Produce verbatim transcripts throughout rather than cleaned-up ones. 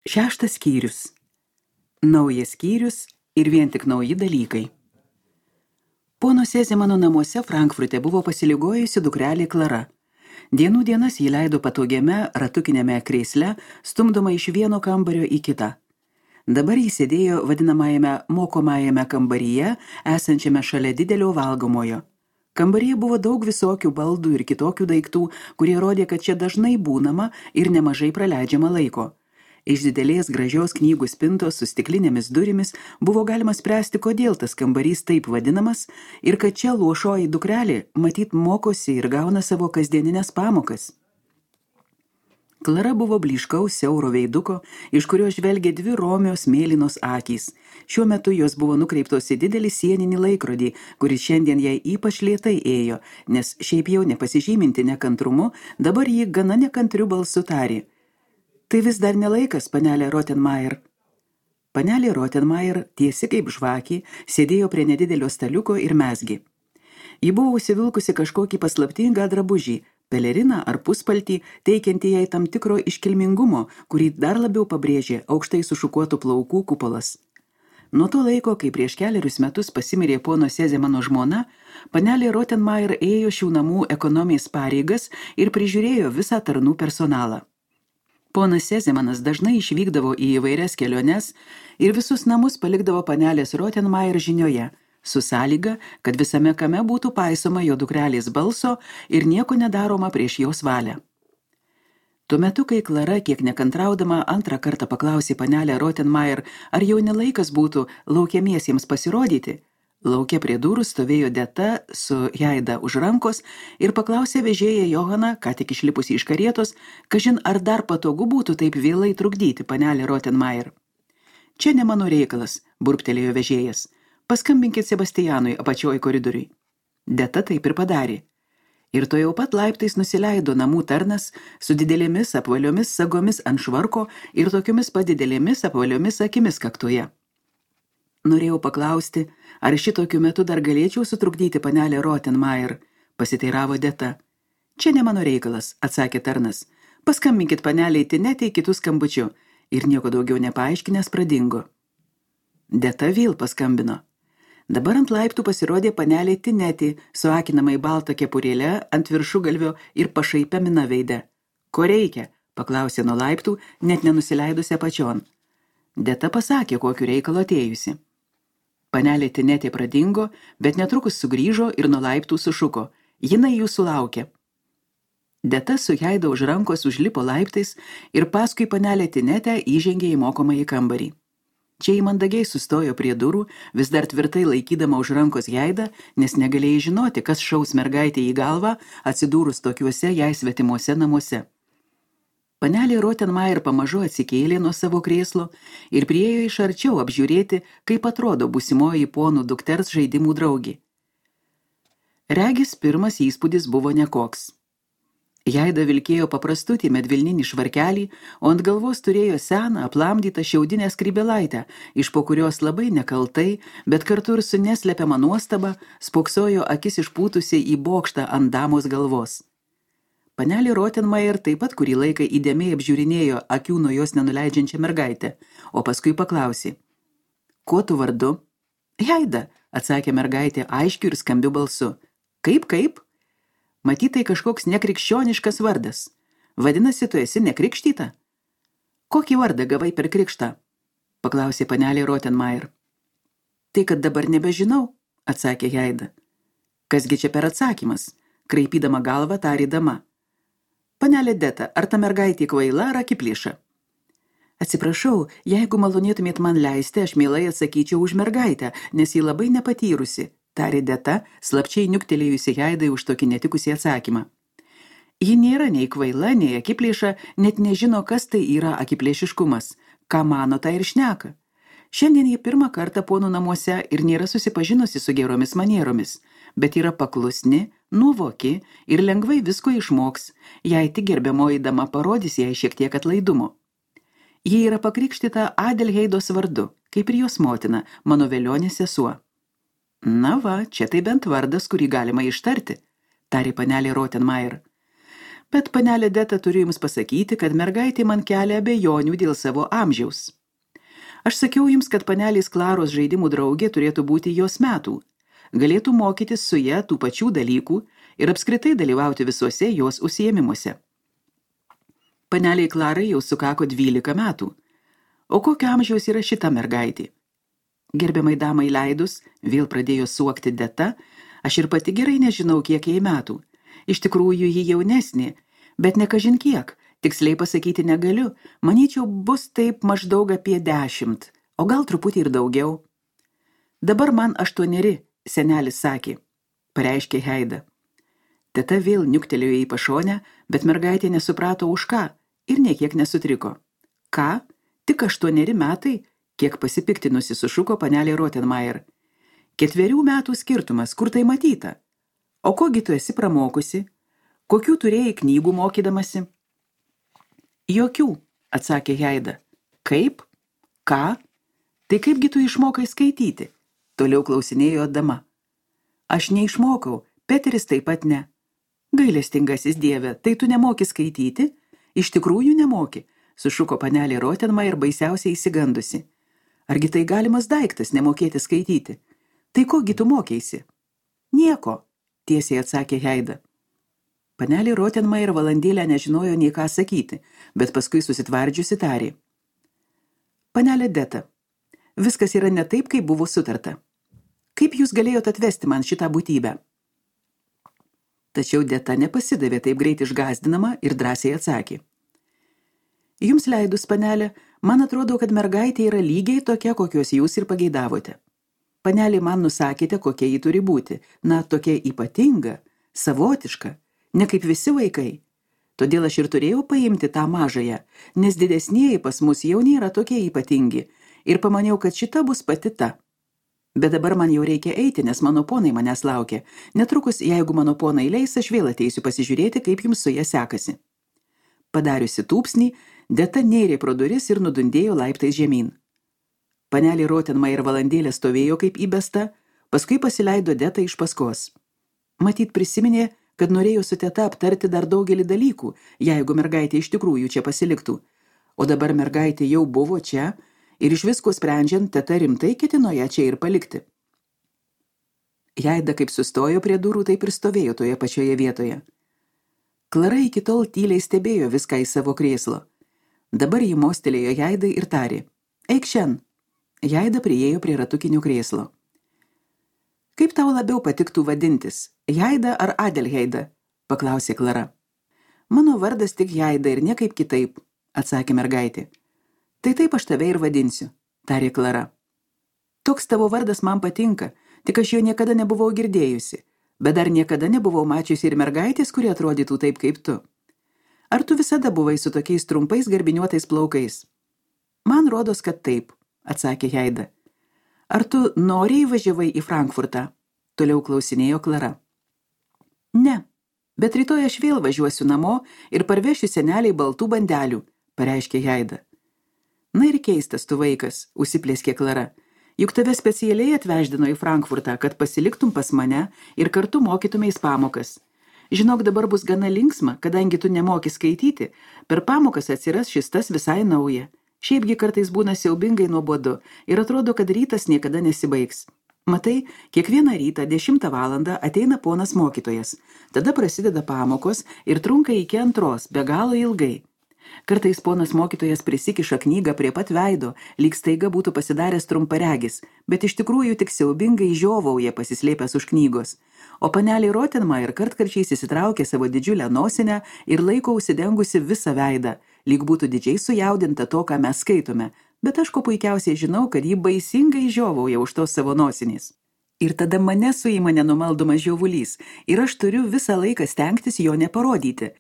Šeštas skyrius. Naujas skyrius ir vien tik nauji dalykai. Pono Sezemano namuose Frankfurte buvo pasiligojusi dukrelė Klara. Dienų dienas jį leido patogiame ratukinėme krėsle, stumdoma iš vieno kambario į kitą. Dabar jis sėdėjo vadinamajame mokomajame kambaryje, esančiame šalia didelio valgomojo. Kambaryje buvo daug visokių baldų ir kitokių daiktų, kurie rodė, kad čia dažnai būnama ir nemažai praleidžiama laiko. Iš didelės gražios knygų spintos su stiklinėmis durimis buvo galima spręsti, kodėl tas kambarys taip vadinamas ir kad čia luošoji dukrelė matyt mokosi ir gauna savo kasdieninės pamokas. Klara buvo blyškaus siauro veiduko, iš kurio žvelgė dvi romios mėlynos akys. Šiuo metu jos buvo nukreiptos į didelį sieninį laikrodį, kuris šiandien jai ypač lėtai ėjo, nes šiaip jau nepasižyminti nekantrumu, dabar jį gana nekantriu balsu tarė: "Tai vis dar nelaikas, panelė Rottenmeier." Panelė Rottenmeier, tiesi kaip žvakė, sėdėjo prie nedidelio staliuko ir mezgė. Ji buvo užsivilkusi kažkokį paslaptingą drabužį, peleriną ar puspaltį, teikiantį jai tam tikro iškilmingumo, kurį dar labiau pabrėžė aukštai sušukuotų plaukų kupolas. Nuo to laiko, kai prieš keliarius metus pasimirė pono Sezemano žmona, panelė Rottenmeier ėjo šių namų ekonomijos pareigas ir prižiūrėjo visą tarnų personalą. Ponas Sezemanas dažnai išvykdavo į įvairias keliones ir visus namus palikdavo panelės Rottenmeier žinioje, su sąlyga, kad visame kame būtų paisoma jo dukrelės balso ir nieko nedaroma prieš jos valią. Tuo metu, kai Klara, kiek nekantraudama, antrą kartą paklausė panelę Rottenmeier, ar jau nelaikas būtų laukiamiesiems pasirodyti, lauke prie durų stovėjo Deta su Jaida už rankos ir paklausė vežėją Johaną, ką tik išlipusi iš karietos, kažin ar dar patogu būtų taip vėlai trukdyti panelę Rottenmeier. "Čia ne mano reikalas," burbtelėjo vežėjas. "Paskambinkit Sebastianui apačioj koridoriui." Deta taip ir padarė. Ir to jau pat laiptais nusileido namų tarnas su didelėmis apvaliomis sagomis ant švarko ir tokiomis padidelėmis apvaliomis akimis kaktoje. "Norėjau paklausti, ar šitokiu metu dar galėčiau sutrukdyti panelę Rottenmeier," pasiteiravo Deta. "Čia ne mano reikalas," atsakė tarnas. "Paskambinkit paneliai Tinetei kitų skambučių," ir nieko daugiau nepaaiškinęs pradingo. Deta vėl paskambino. Dabar ant laiptų pasirodė panelė Tinetė su akinamai balta kepurėle ant viršugalvio ir pašaipia mina veide. "Ko reikia?" paklausė nuo laiptų, net nenusileidusi apačion. Deta pasakė, kokiu reikalu atėjusi. Panelė Tinetė pradingo, bet netrukus sugrįžo ir nuo laiptų sušuko: "Jinai jūsų laukia." Deta su Jaida už rankos užlipo laiptais ir paskui panelė Tinetę įžengė į mokomąjį kambarį. Čia ji mandagiai sustojo prie durų, vis dar tvirtai laikydama už rankos Jaidą, nes negalėjai žinoti, kas šaus mergaitė į galvą, atsidūrus tokiuose jai svetimuose namuose. Panelė Rottenmeier pamažu atsikėlė nuo savo krėslo ir priėjo iš arčiau apžiūrėti, kaip atrodo būsimoji ponų dukters žaidimų draugė. Regis pirmas įspūdis buvo nekoks. Jaida vilkėjo paprastutį medvilninį švarkelį, o ant galvos turėjo seną, aplamdytą šiaudinę skrybėlaitę, iš po kurios labai nekaltai, bet kartu ir su neslepiama nuostaba, spoksojo akis išpūtusiai į bokštą ant damos galvos. Panelė Rottenmeier taip pat kurį laiką įdėmiai apžiūrinėjo akių nuo jos nenuleidžiančią mergaitę, o paskui paklausė: "Kuo tu vardu?" "Jaida," atsakė mergaitė aiškiu ir skambiu balsu. "Kaip, kaip? Matyt, tai kažkoks nekrikščioniškas vardas. Vadinasi, tu esi nekrikštyta?" "Kokį vardą gavai per krikštą?" paklausė panelė Rottenmeier. "Tai, kad dabar nebežinau," atsakė Jaida. "Kasgi čia per atsakymas?" kraipydama galvą tarė dama. "Panelė Deta, ar ta mergaitė kvaila ar akiplėša?" "Atsiprašau, jeigu malonėtumėt man leisti, aš mielai atsakyčiau už mergaitę, nes ji labai nepatyrusi," tarė Deta, slapčiai niuktelėjusi Jaidai už tokį netikusį atsakymą. "Ji nėra nei kvaila, nei akiplėša, net nežino, kas tai yra akiplėšiškumas. Ką mano, tai ir šneka. Šiandien ji pirmą kartą ponų namuose ir nėra susipažinusi su geromis manieromis, bet yra paklusni, nuovoki ir lengvai visko išmoks, jei tik gerbiamoji dama parodys jai šiek tiek atlaidumo. Ji yra pakrikštyta Adelheidos vardu, kaip ir jos motina, mano velionė sesuo." "Na va, čia tai bent vardas, kurį galima ištarti," tarė panelė Rottenmeier. Bet, panelė Deta, turiu jums pasakyti, kad mergaitė man kelia abejonių dėl savo amžiaus. Aš sakiau jums, kad panelės Klaros žaidimų draugė turėtų būti jos metų, galėtų mokytis su ja tų pačių dalykų ir apskritai dalyvauti visuose jos užsiėmimuose. Paneliai Klarai jau sukako dvylika metų. O kokio amžiaus yra šita mergaitė? Gerbiamai damai leidus, vėl pradėjo suokti Deta, aš ir pati gerai nežinau, kiek jai metų. Iš tikrųjų, ji jaunesnė, bet ne kažin kiek, tiksliai pasakyti negaliu, manyčiau, bus taip maždaug apie dešimt, o gal truputį ir daugiau. Dabar man aštuoneri, senelis sakė, pareiškė Heida. Teta vėl niuktelėjo į pašonę, bet mergaitė nesuprato už ką ir niekiek nesutriko. Ką? Tik aštuoneri metai? Kiek pasipiktinusi sušuko panelė Rottenmeier. Ketverių metų skirtumas, kur tai matyta? O kogi tu esi pramokusi? Kokių turėjai knygų mokydamasi? Jokių, atsakė Heida. Kaip? Ką? Tai kaipgi tu išmokai skaityti? Toliau klausinėjo dama. Aš neišmokau, Peteris taip pat ne. Gailestingasis dieve, tai tu nemoki skaityti? Iš tikrųjų nemoki, sušuko panelė Rottenmeier baisiausiai įsigandusi. Argi tai galimas daiktas nemokėti skaityti? Tai kogi tu mokėsi? Nieko, tiesiai atsakė Heida. Panelė Rottenmeier valandėlę nežinojo nei ką sakyti, bet paskui susitvardžiusi tarė. Panelė Deta, viskas yra ne taip, kaip buvo sutarta. Kaip jūs galėjot atvesti man šitą būtybę? Tačiau Deta nepasidavė taip greit išgąsdinama ir drąsiai atsakė. Jums leidus, panelė, man atrodo, kad mergaitė yra lygiai tokia, kokios jūs ir pageidavote. Panelė, man nusakėte, kokia ji turi būti, na, tokia ypatinga, savotiška, ne kaip visi vaikai. Todėl aš ir turėjau paimti tą mažąją, nes didesnieji pas mus jau nėra tokie ypatingi, ir pamaniau, kad šita bus pati ta. Bet dabar man jau reikia eiti, nes mano ponai manęs laukia. Netrukus, jeigu mano ponai leis, aš vėl ateisiu pasižiūrėti, kaip jums su ja sekasi. Padariusi tūpsnį, Deta nėrė pro duris ir nudundėjo laiptais žemyn. Panelė Rottenmeier valandėlę stovėjo kaip įbesta, paskui pasileido Deta iš paskos. Matyt prisiminė, kad norėjo su teta aptarti dar daugelį dalykų, jeigu mergaitė iš tikrųjų čia pasiliktų. O dabar mergaitė jau buvo čia ir iš visko sprendžiant, teta rimtai ketino ją čia ir palikti. Heida kaip sustojo prie durų, taip ir stovėjo toje pačioje vietoje. Klara iki tol tyliai stebėjo viską į savo krėslo. Dabar jį mostelėjo Heidai ir tarė. Eik šen. Heida priėjo prie ratukinio krėslo. Kaip tau labiau patiktų vadintis, Heida ar Adelheida? Paklausė Klara. Mano vardas tik Heida ir niekaip kitaip, atsakė mergaitė. Tai taip aš tave ir vadinsiu, tarė Klara. Toks tavo vardas man patinka, tik aš jo niekada nebuvau girdėjusi, bet dar niekada nebuvau mačiusi ir mergaitės, kuri atrodytų taip kaip tu. Ar tu visada buvai su tokiais trumpais garbiniuotais plaukais? Man rodos, kad taip, atsakė Heida. Ar tu noriai važiavai į Frankfurtą? Toliau klausinėjo Klara. Ne, bet rytoj aš vėl važiuosiu namo ir parvešiu seneliai baltų bandelių, pareiškė Heida. Na ir keistas tu vaikas, užsiplėskė Klara. Juk tave specialiai atveždino į Frankfurtą, kad pasiliktum pas mane ir kartu mokytumeis pamokas. Žinok, dabar bus gana linksma, kadangi tu nemoki skaityti, per pamokas atsiras šis tas visai nauja. Šiaipgi kartais būna siaubingai nuobodu ir atrodo, kad rytas niekada nesibaigs. Matai, kiekvieną rytą dešimtą valandą ateina ponas mokytojas, tada prasideda pamokos ir trunka iki antros, be galo ilgai. Kartais ponas mokytojas prisikiša knygą prie pat veido, lyg staiga būtų pasidaręs trumparegis, bet iš tikrųjų tik siaubingai žiovauja pasislėpęs už knygos. O panelė Rottenmeier kartkarčiais įsitraukė savo didžiulę nosinę ir laiko užsidengusi visą veidą, lyg būtų didžiai sujaudinta to, ką mes skaitome, bet aš ko puikiausiai žinau, kad ji baisingai žiovauja už tos savo nosinės. Ir tada mane suima nenumaldomas žiovulys ir aš turiu visą laiką stengtis jo neparodyti.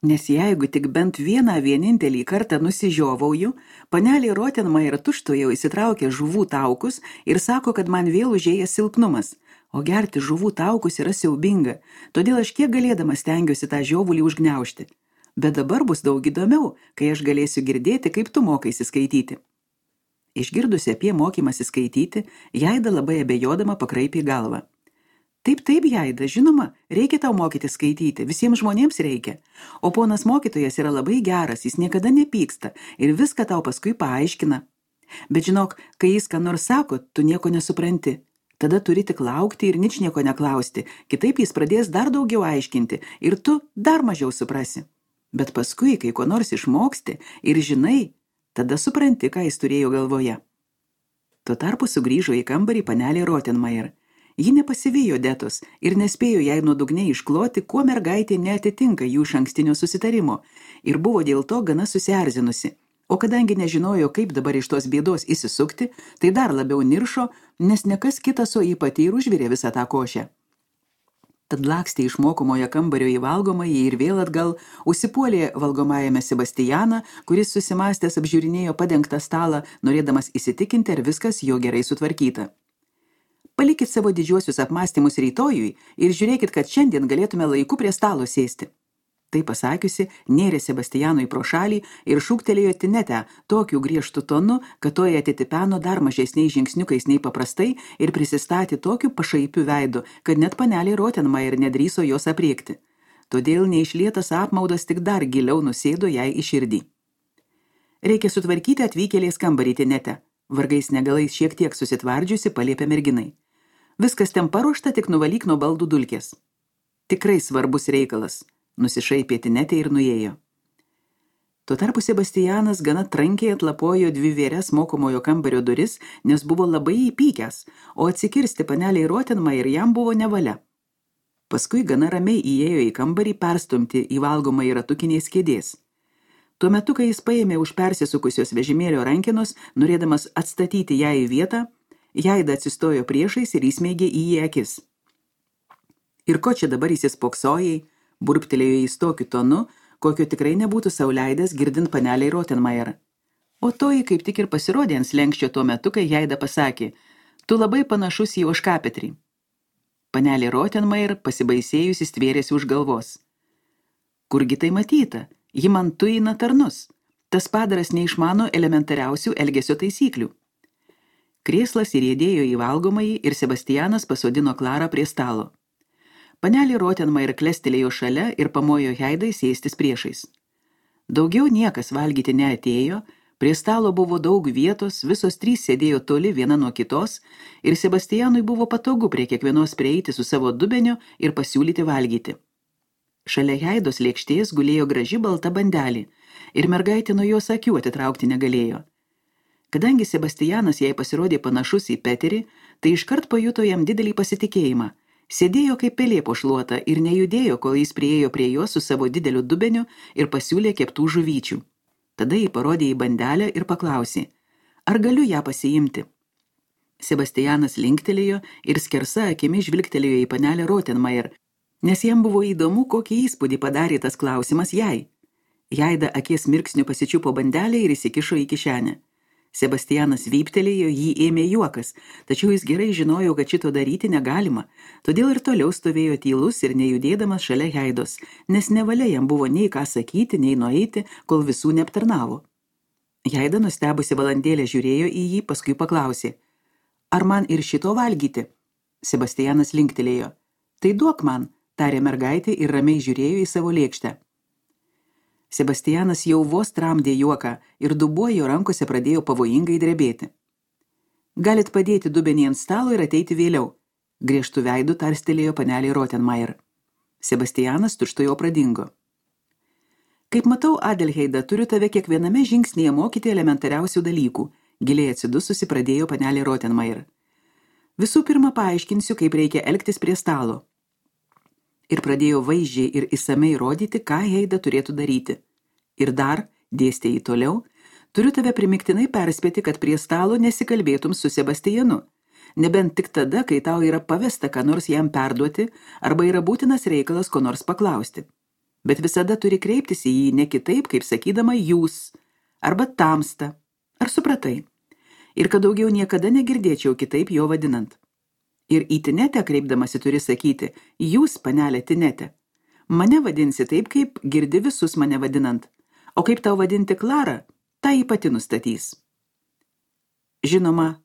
Nes jeigu tik bent vieną vienintelį kartą nusižiovauju, panelė Rottenmeier tučtuojau įsitraukia žuvų taukus ir sako, kad man vėl užėjęs silpnumas. O gerti žuvų taukus yra siaubinga, todėl aš kiek galėdama stengiuosi tą žiovulį užgniaužti. Bet dabar bus daug įdomiau, kai aš galėsiu girdėti, kaip tu mokaisi skaityti. Išgirdusi apie mokymąsi skaityti, Heida labai abejodama pakraipė galvą. Taip, taip, Jaida, žinoma, reikia tau mokyti skaityti, visiems žmonėms reikia. O ponas mokytojas yra labai geras, jis niekada nepyksta ir viską tau paskui paaiškina. Bet žinok, kai jis ką nors sako, tu nieko nesupranti. Tada turi tik laukti ir ničnieko neklausti, kitaip jis pradės dar daugiau aiškinti ir tu dar mažiau suprasi. Bet paskui, kai ko nors išmoksti ir žinai, tada supranti, ką jis turėjo galvoje. Tuo tarpu sugrįžo į kambarį panelė Rottenmeier. Ji nepasivijo Detos ir nespėjo jai nuodugniai iškloti, kuo mergaitė neatitinka jų išankstinio susitarimo ir buvo dėl to gana susierzinusi. O kadangi nežinojo, kaip dabar iš tos bėdos įsisukti, tai dar labiau niršo, nes nekas kitas, o jį pati ir užvirė visą tą košę. Tad lakstė iš mokomojo kambario į valgomąjį ir vėl atgal užsipuolė valgomajame Sebastianą, kuris susimąstęs apžiūrinėjo padengtą stalą, norėdamas įsitikinti, ar viskas jo gerai sutvarkyta. Palikit savo didžiuosius apmąstymus rytojui ir žiūrėkit, kad šiandien galėtume laiku prie stalo sėsti. Tai pasakiusi, nėrė Sebastianui pro šalį ir šūktelėjo Tinetę tokiu griežtu tonu, kad toje atitipeno dar mažesniais žingsniukais nei paprastai ir prisistatė tokiu pašaipiu veidu, kad net panelė Rottenmeier nedrįso jos apriekti. Todėl neišlietas apmaudas tik dar giliau nusėdo jai į širdį. Reikia sutvarkyti atvykėlės kambarį, Tinete, vargais negalais šiek tiek susitvardžiusi paliepė merginai. Viskas ten paruošta, tik nuvalyk nuo baldų dulkės. Tikrai svarbus reikalas. Nusišaipė Tinetė ir nuėjo. Tuo tarpu Sebastianas gana trankiai atlapojo dvi vėres mokomojo kambario duris, nes buvo labai įpykęs, o atsikirsti paneliai Rottenmeier jam buvo nevalia. Paskui gana ramiai įėjo į kambarį perstumti į valgomąjį ratukinės kėdės. Tuo metu, kai jis paėmė už persisukusios vežimėlio rankenos, norėdamas atstatyti ją į vietą, Jaida atsistojo priešais ir įsmeigė į jį akis. Ir ko čia dabar įsispoksojai? Burptelėjo jis tokiu tonu, kokio tikrai nebūtų sau leidęs girdint paneliai Rottenmeier. O toji kaip tik ir pasirodė ant slenkščio tuo metu, kai Jaida pasakė, tu labai panašus į ožkapetrį. Panelė Rottenmeier pasibaisėjusi stvėrėsi už galvos. Kurgi tai matyta? Ji man tuina tarnus. Tas padaras neišmano elementariausių elgesio taisyklių. Krėslas įrėdėjo į valgomąjį ir Sebastianas pasodino Klarą prie stalo. Panelė Rottenmeier klestelėjo šalia ir pamojo Jaidai sėstis priešais. Daugiau niekas valgyti neatėjo, prie stalo buvo daug vietos, visos trys sėdėjo toli viena nuo kitos ir Sebastianui buvo patogu prie kiekvienos prieiti su savo dubeniu ir pasiūlyti valgyti. Šalia Jaidos lėkštės gulėjo graži balta bandelė ir mergaitė nuo jos akių atitraukti negalėjo. Kadangi Sebastianas jai pasirodė panašus į Peterį, tai iškart pajuto jam didelį pasitikėjimą. Sėdėjo kaip pelė po šluota ir nejudėjo, kol jis priėjo prie jo su savo dideliu dubeniu ir pasiūlė keptų žuvyčių. Tada jį parodė į bandelę ir paklausė, ar galiu ją pasiimti. Sebastianas linktelėjo ir skersa akimi žvilgtelėjo į panelę Rottenmeier, nes jam buvo įdomu, kokį įspūdį padarė tas klausimas jai. Jaida akies mirksniu pasičiupo bandelę ir įsikišo į kišenę. Sebastianas vyptelėjo, jį ėmė juokas, tačiau jis gerai žinojo, kad šito daryti negalima, todėl ir toliau stovėjo tylus ir nejudėdamas šalia Jaidos, nes nevalia jam buvo nei ką sakyti, nei nueiti, kol visų neaptarnavo. Jaida nustebusi valandėlę žiūrėjo į jį, paskui paklausė, ar man ir šito valgyti? Sebastianas linktelėjo, tai duok man, tarė mergaitė ir ramiai žiūrėjo į savo lėkštę. Sebastianas jau vos tramdė juoką ir dubuo jo rankose pradėjo pavojingai drebėti. Galit padėti dubenį ant stalo ir ateiti vėliau, griežtų veidų tarstelėjo panelė Rottenmeier. Sebastianas tučtuojau pradingo. Kaip matau, Adelheida, turiu tave kiekviename žingsnyje mokyti elementariausių dalykų, giliai atsidususi pradėjo panelė Rottenmeier. Visų pirma paaiškinsiu, kaip reikia elgtis prie stalo. Ir pradėjo vaizdžiai ir įsamei rodyti, ką Heida turėtų daryti. Ir dar, dėstė jį toliau, turiu tave primiktinai perspėti, kad prie stalo nesikalbėtum su Sebastianu, nebent tik tada, kai tau yra pavesta, ką nors jam perduoti, arba yra būtinas reikalas ko nors paklausti. Bet visada turi kreiptis į jį ne kitaip, kaip sakydama jūs, arba tamsta, ar supratai, ir kad daugiau niekada negirdėčiau kitaip jo vadinant. Ir į Tinetę kreipdamasi turi sakyti, jūs, panelė Tinetė, mane vadinsi taip, kaip girdi visus mane vadinant, o kaip tau vadinti Klarą, tą jį pati nustatys. Žinoma,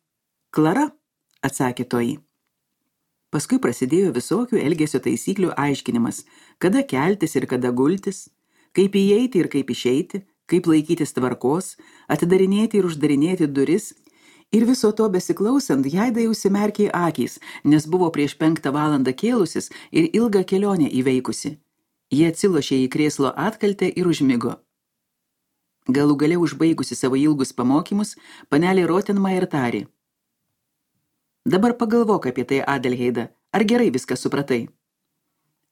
Klara, atsakė toji. Paskui prasidėjo visokių elgesio taisyklių aiškinimas, kada keltis ir kada gultis, kaip įeiti ir kaip išeiti, kaip laikytis tvarkos, atidarinėti ir uždarinėti duris. Ir viso to besiklausant, Jaidai užsimerkė akys, nes buvo prieš penktą valandą kėlusis ir ilgą kelionę įveikusi. Jie atsilošė į krėslo atkaltę ir užmigo. Galų gale užbaigusi savo ilgus pamokymus, panelė Rottenmeier tarė: Dabar pagalvok apie tai, Adelheida, ar gerai viską supratai?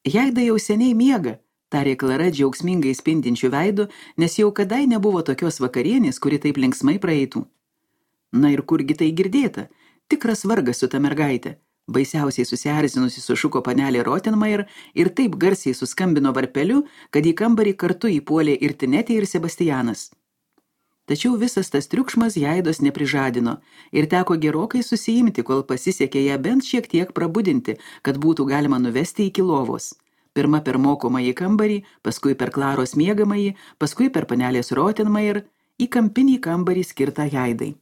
Jaida jau seniai miega, tarė Klara džiaugsmingai spindinčių veidu, nes jau kadai nebuvo tokios vakarienės, kuri taip linksmai praeitų. Na ir kurgi tai girdėta, tikras vargas su ta mergaitė, baisiausiai susierzinusi sušuko panelė Rottenmeier ir taip garsiai suskambino varpeliu, kad į kambarį kartu įpuolė ir Tinetė ir Sebastianas. Tačiau visas tas triukšmas Jaidos neprižadino ir teko gerokai susiimti, kol pasisekė ją bent šiek tiek prabudinti, kad būtų galima nuvesti iki lovos. Pirma per mokomąjį kambarį, paskui per Klaros miegamąjį, paskui per panelės Rottenmeier į kampinį kambarį skirtą Jaidai.